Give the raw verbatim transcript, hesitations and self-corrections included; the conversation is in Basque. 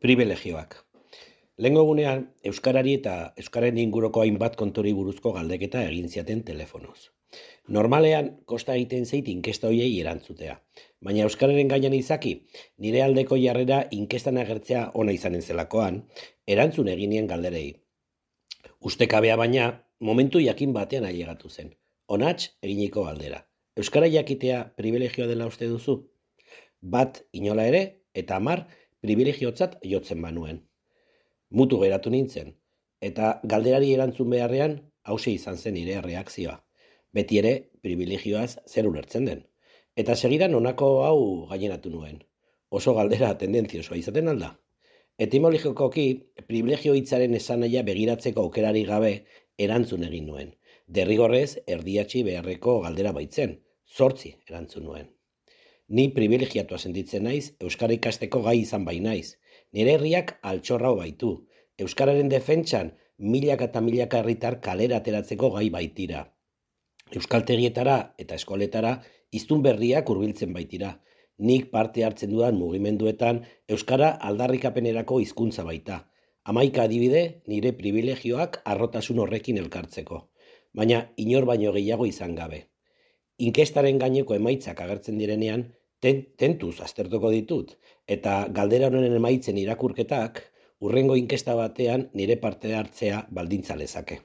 Pribilegioak. Lehengo egunean, euskarari eta euskararen inguruko hainbat kontori buruzko galdeketa egin ziaten telefonoz. Normalean, kosta egiten zait inkesta hoiei erantzutea, baina euskararen gainean izaki, nire aldeko jarrera inkestan agertzea ona izanen zelakoan, erantzun eginien galderei. Ustekabea baina, momentu jakin batean ailegatu zen. Onats eginiko galdera. Euskara jakitea pribilegioa dela uste duzu? Bat inola ere, eta hamar pribilegiotzat jotzen banuen. Mutu geratu nintzen, eta galderari erantzun beharrean, hause izan zen nire erreakzioa. Beti ere, pribilegioaz zer ulertzen den. Eta segidan honako hau gaineratu nuen. Oso galdera tendentziosoa izaten alda. Etimologikoki, pribilegio hitzaren esanahia begiratzeko aukerari gabe erantzun egin nuen. Derrigorrez, erdiatzi beharreko galdera baitzen, zortzi erantzun nuen. Ni pribilegiatua sentitzen naiz, euskara ikasteko gai izan bai naiz. Nire herriak altxorrau baitu. Euskararen defentsan milaka eta milaka herritar kalera ateratzeko gai baitira. Euskaltegietara eta eskoletara hiztun berriak hurbiltzen baitira. Nik parte hartzen dudan mugimenduetan euskara aldarrikapenerako hizkuntza baita. Hamaika adibide nire pribilegioak harrotasun horrekin elkartzeko. Baina inor baino gehiago izan gabe. Inkestaren gaineko emaitzak agertzen direnean, ten, tentuz aztertuko ditut, eta galdera honen emaitzen irakurketak, hurrengo inkesta batean nire parte hartzea baldintza lezake.